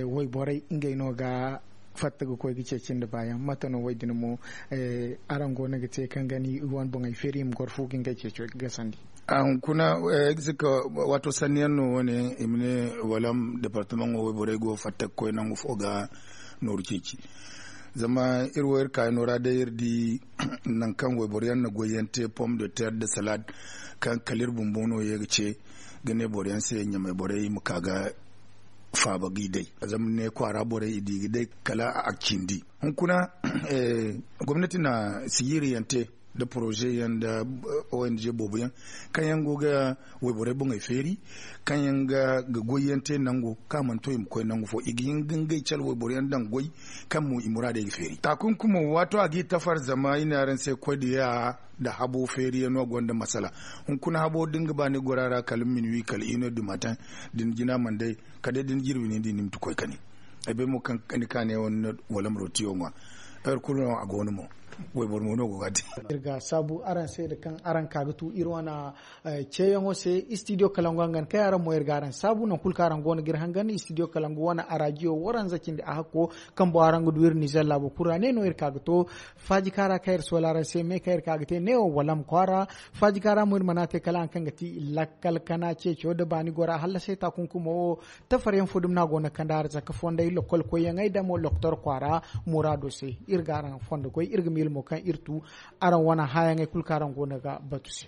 wayborey ngey no ga fatta ga koy ga ceeci nda baayaŋ mate no wo- din mo araŋ go no ga te kaŋ ga ni wane boŋey feeri i ma goro fu ga ngey ceeco gasandi? A hunkuna ay ga si ka waato sanni yaŋ no wo- ne i ma ne walam departamaŋo wayborey go fatta ga koy nangu fo ga nooru ceeci. Zama iri wo iri kaayano ra day iri di nangu kaŋ wayboro yaŋ na goy yaŋ te pom de terre nda salad kaŋ kala iri bumbo no ye ga ce ga ne boro yaŋ se ɲamay borey ma ka ga faaba g'i day. Zama ne kwaara borey i di ga day kala a cindi. Hunkuna gomnati na sijiiri yaŋ te nda poroze yaŋ nda ong boobo yaŋ kaŋ yaŋ go ga wayborey boŋey feeri kaŋ yaŋ ga goy yaŋ te nango kaŋ a mana to i ma koy nangu fo i ga hin ga ngey cala wayboro yaŋ daŋ goy kaŋ mo i muraadey ga feeri taakunkumo waato a g'i tafar zama i ne araŋ se koy da ya nda habo feeri yaŋ no gonda masala. Hunkuna habo da ni ga ba ni gora ra kala minuwi kala ino du matin da ni jina mana day kala day da ni jirbi ni di ni ma ti koy kani. Ay bay mo kaŋ ni kaane wane no wala ma rotiyo ŋwa. Heure kulu no a go no mo. Wayboro mo no go ga a te. Iri ga saabu araŋ se nda kaŋ araŋ ka ga tu iri wane ceeyaŋo se istidiyo kalangu a ga ni kay araŋ mo iri ga araŋ saabu nangu kulu kaŋ araŋ go no ga iri hangan istidiyo kalangu wane arajiyo waranza cindi a hakko. Kambo araŋ ga du iri nizer laabo kulu ra ne no iri ka ga to faaji kaŋ ra kaŋ iri soola araŋ se me kaŋ iri ka ga te neewo wala ma kwaara. Faaji kaŋ ra mo iri mana te kala haŋ kaŋ ga ti lakkal kana ceeco nda baani gora hallasay taakunkumo wo. Tafaryaŋ fo dumi no a go no ga kande a ra zaka fonday lokol koyyaŋey da mo lokotor kwaara muraado se. Iri ga araŋ fondo goy iri ga miila mo kaŋ iri tu araŋ wane hãyaŋey kulu kaŋ araŋ go no ga batu se.